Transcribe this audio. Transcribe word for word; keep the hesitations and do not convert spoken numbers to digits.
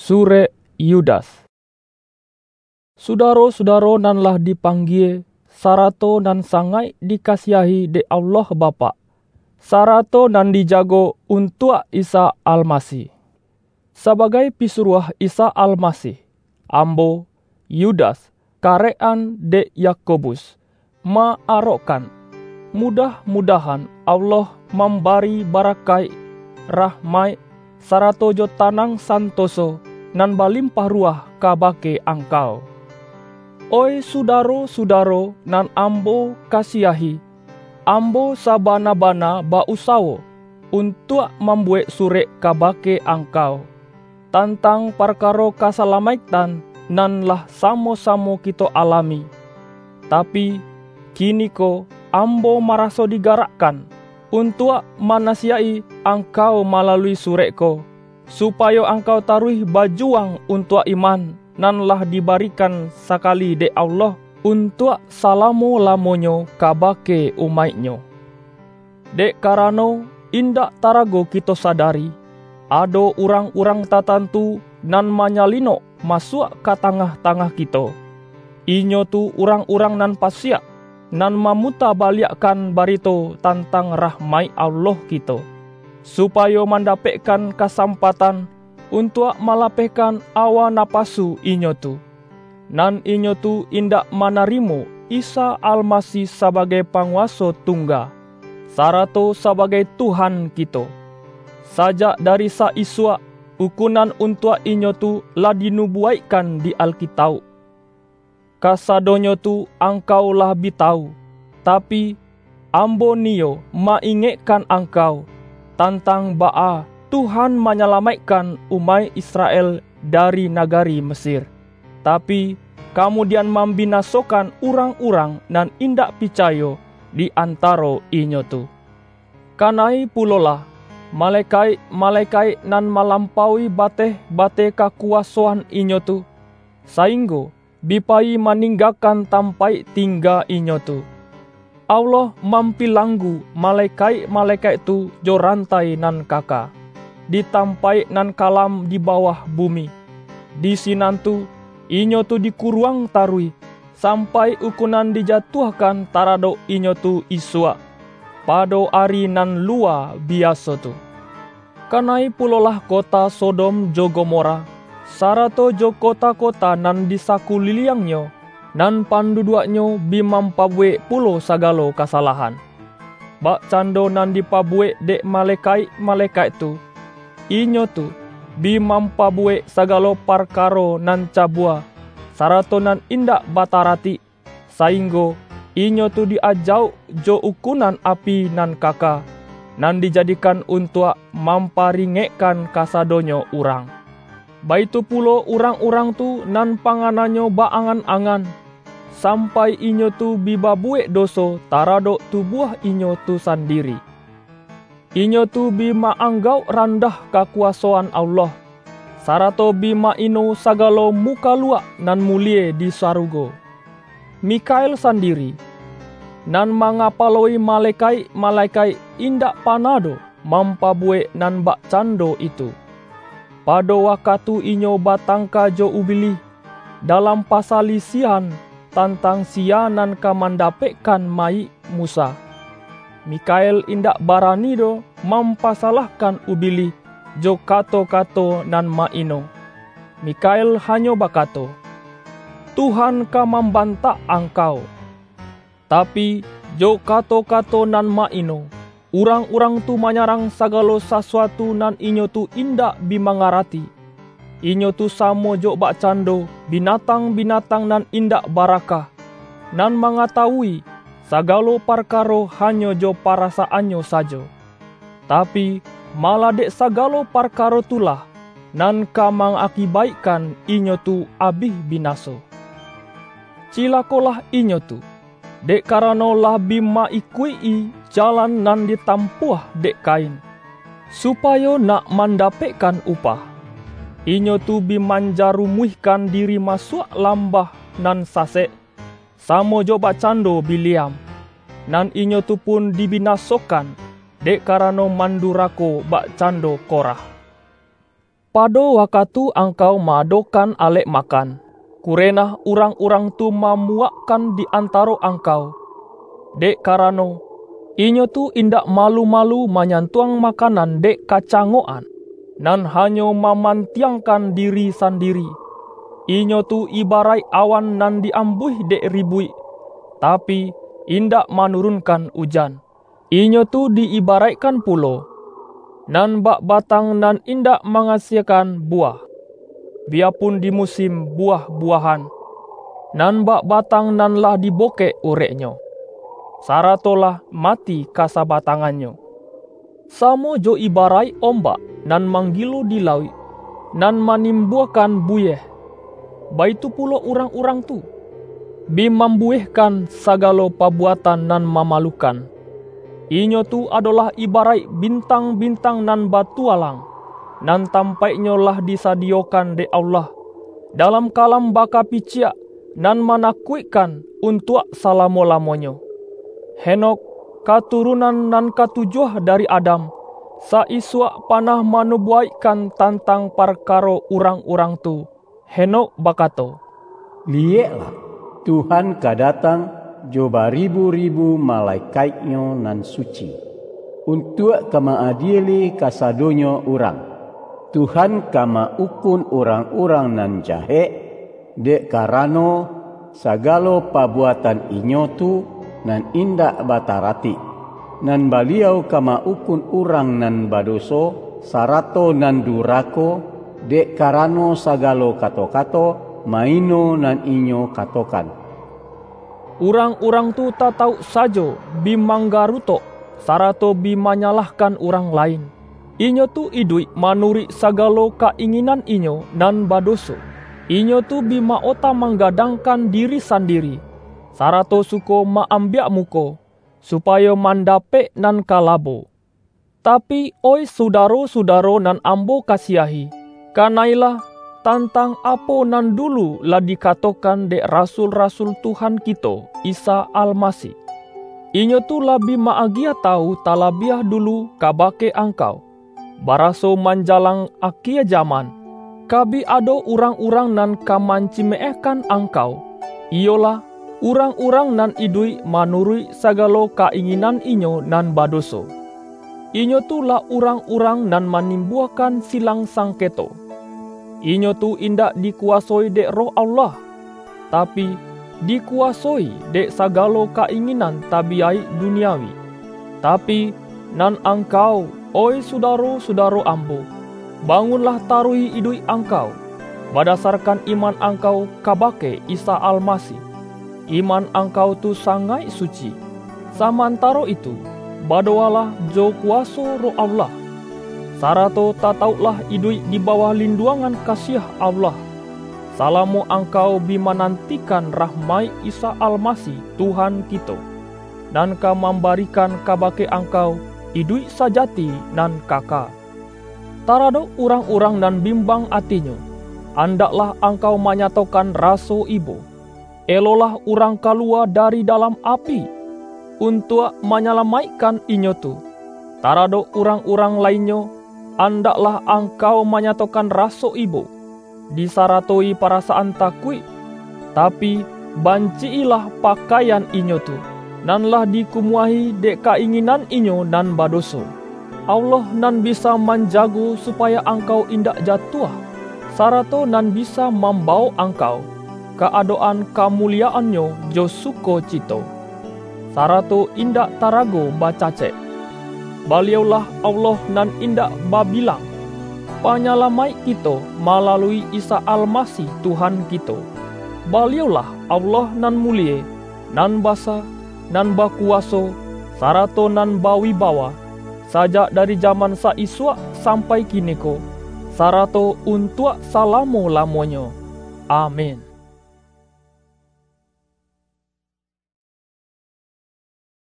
Surek Yudas. Sudaro-sudaro nan lah dipanggie, sarato nan sangaik dikasiahi dek Allah Bapak, sarato nan dijago untuak Isa Almasih. Sabagai pisuruah Isa Almasih, ambo, Yudas, karek-an dek Yakobus, ma-arokkan, mudah-mudahan Allah mambari barakaik, rahmaik, sarato jo tanang santoso nan balimpah ruwah kabake angkau. Oih sudaro-sudaro nan ambo kasiahi, ambo sabana-bana ba-usawo untuak mambuwek surek kabake angkau, tantang parkaro kasalamaiktan nan lah samo-samo kito alami. Tapi, kiniko ambo maraso digarakkan untuak manasiyaik-i angkau malalui surek ko, supayo angkau taruih bajuwang untuak iman nan lah dibarikan sakali dek Allah untuak salamo-lamonyo kabake umaik-Nyo. Dek karano, indak tarago kito sadari, ado urang-urang tatantu nan manyalinok masuak ka tangah-tangah kito. Inyo tu urang-urang nan pasiak, nan mamutabaliakkan barito tantang rahmaik Allah kito, supayo mandapekkan kasampatan untuak malapehkan awa napasu inyo tu, nan inyo tu indak manarimo Isa Almasih sabagai Panguwaso Tungga, sarato sabagai Tuhan kito. Sajak dari sa-isuak, ukunan untuak inyo tu lah dinubuwaikkan di Alkitauk. Kasadonyo tu angkau lah bi tawu, tapi, ambo niyo ma-ingekkan angkau, tantang baa Tuhan manyalamaikkan umaik Israel dari nagari Mesir, tapi, kamudian mambinasokan urang-urang nan indak picayo di antaro inyo tu. Kanai pulolah, malekaik-malekaik nan malampaui bateh-bateh kakuwasoan inyo tu, sainggo bi payi maninggakan tampaik tingga inyo tu. Allah mampilanggu malekaik-malekaik tu jo rantai nan kaka, di tampaik nan kalam di bawah bumi. Di sinan tu, inyo tu dikuruang taruih, sampai ukunan dijatuahkan taradok inyo tu isuak, pado ari nan luwa biaso tu. Kanai pulolah kota Sodom jo Gomora, sarato jo kota-kota nan di sakuliliangnyo, nan panduduaknyo bi mampabuwek pulo sagalo kasalahan. Bakcando nan dipabuwek dek malekaik-malekaik tu, inyo tu bi mampabuwek sagalo parkaro nan cabua, sarato nan indak bataratik, sainggo inyo tu di-ajauk jo ukunan api nan kaka, nan dijadikan untuak mamparingekkan kasadonyo urang. Baitu pulo urang-urang tu nan pangananyo ba-angan-angan, sampai inyo tu bi babuwek doso taradok tubuah inyo tu sandiri. Inyo tu bi ma-anggauk randah kakuwasoan Allah, sarato bi ma-ino sagalo mukaluak nan mulie di sarugo. Mikael sandiri, nan mangapaloi malekaik-malekaik, indak panah doh mampabuwek nan bakcando itu. Pado wakatu inyo batangka jo Ubilih dalam pasalisiahan tantang siya nan ka mandapekkan mayik Musa, Mikael indak barani doh mampasalahkan Ubilih jo kato-kato nan ma-ino. Mikael hanyo bakato, "Tuhan ka mambantak angkau." Tapi, jo kato-kato nan ma-ino, urang-urang tu manyarang sagalo sasuatu nan inyo tu indak bi mangarati. Inyo tu samo jo bakcando binatang-binatang nan indak barakah, nan mangatawui sagalo parkaro hanyo jo parasaannyo sajo. Tapi, malah dek sagalo parkaro tu lah, nan ka mangakibaikkan inyo tu abih binaso. Cilakolah inyo tu, dek karano lah bi ma-ikuik-i jalan nan ditampuah dek Kain, supayo nak mandapekkan upah. Inyo tu bi manjarumuihkan diri masuak lambah nan sasek, samo jo bakcando Bileam, nan inyo tu pun dibinasokan, dek karano mandurako bakcando Korah. Pado wakatu angkau ma-adokan alek makan, kurenah urang-urang tu mamuwakkan di antaro angkau, dek karano, inyo tu indak malu-malu manyantuang makanan dek kacangokan, nan hanyo mamantiangkan diri sandiri. Inyo tu ibaraik awan nan di-ambuih dek ribuik, tapi, indak manurunkan ujan. Inyo tu di-ibaraikkan pulo, nan bak batang nan indak mangasiekan buwah, biyapun di musim buwah-buwahan, nan bak batang nan lah dibokek ureknyo, sarato lah mati kasabatangannyo. Samo jo ibaraik ombak nan manggilo di lauik, nan manimbuakan buyeh, baitu pulo urang-urang tu, bi mambuwehkan sagalo pabuatan nan mamalukan. Inyo tu adolah ibaraik bintang-bintang nan batualang, nan tampaiknyo lah disadiyokan dek Allah, dalam kalam bakapiciak nan manakuikkan untuak salamo-lamonyo. Henokh, katurunan nan katujuah dari Adam, sa-isuak panah manubuwaikkan tantang parkaro urang-urang tu. Henokh bakato, "Liyeklah, Tuhan ka datang jo baribu-ribu malekaik-Nyo nan suci, untuak ka ma-adieli kasadonyo urang. Tuhan ka ma-ukun urang-urang nan jahek, dek karano, sagalo pabuatan inyo tu nan indak bataratik, nan Baliau ka ma-ukun urang nan badoso, sarato nan durako, dek karano sagalo kato-kato maino nan inyo katokan." Urang-urang tu tatauk sajo bi manggarutok, sarato bi manyalahkan urang lain. Inyo tu iduik manuruik sagalo ka-inginan inyo nan badoso. Inyo tu bi ma-ota manggadangkan diri sandiri, sarato suko ma-ambiak muko, supayo mandapek nan ka labo. Tapi, oih sudaro-sudaro nan ambo kasiahi, kanailah tantang apo nan dulu lah dikatokan dek rasul-rasul Tuhan kito, Isa Almasih. Inyo tu lah bi ma-agiah tawu talabiah dulu kabake angkau, baraso manjalang akie jaman, ka bi ado urang-urang nan ka mancimeehkan angkau, iyolah, urang-urang nan iduik manuruik sagalo ka-inginan inyo nan badoso. Inyo tu lah urang-urang nan manimbuakan silang sangketo. Inyo tu indak dikuwasoi dek Roh Allah, tapi, dikuwasoi dek sagalo ka-inginan tabiyaik duniawi. Tapi, nan angkau, oih sudaro-sudaro ambo, bangunlah taruih iduik angkau, badasarkan iman angkau kabake Isa Almasih. Iman angkau tu sangaik suci. Samantaro itu, badowalah jo kuwaso Roh Allah, sarato tatauklah iduik di bawah linduangan kasiah Allah, salamo angkau bi manantikan rahmaik Isa Almasih, Tuhan kito, nan ka mambarikan kabake angkau iduik sajati nan kaka. Taradok urang-urang nan bimbang atinyo, andaklah angkau manyatokan raso ibo. Elolah urang kaluwa dari dalam api, untuak manyalamaikkan inyo tu. Taradok urang-urang lainnyo, andaklah angkau manyatokan raso ibo, disaratoi parasaan takuik, tapi, banci-ilah pakaian inyo tu, nan lah dikumuahi dek ka-inginan inyo nan badoso. Allah nan bisa manjago supayo angkau indak jatuah, sarato nan bisa mambawok angkau ka adok-an kamuliaan-Nyo jo sukocito, sarato indak tarago bacacek. Baliau-lah Allah nan indak babilang, Panyalamaik kito malalui Isa Almasih Tuhan kito. Baliau-lah Allah nan mulie, nan basa, nan bakuwaso, sarato nan bawibawa, sajak dari jaman sa-isuak sampai kiniko, sarato untuak salamo-lamonyo. Amin.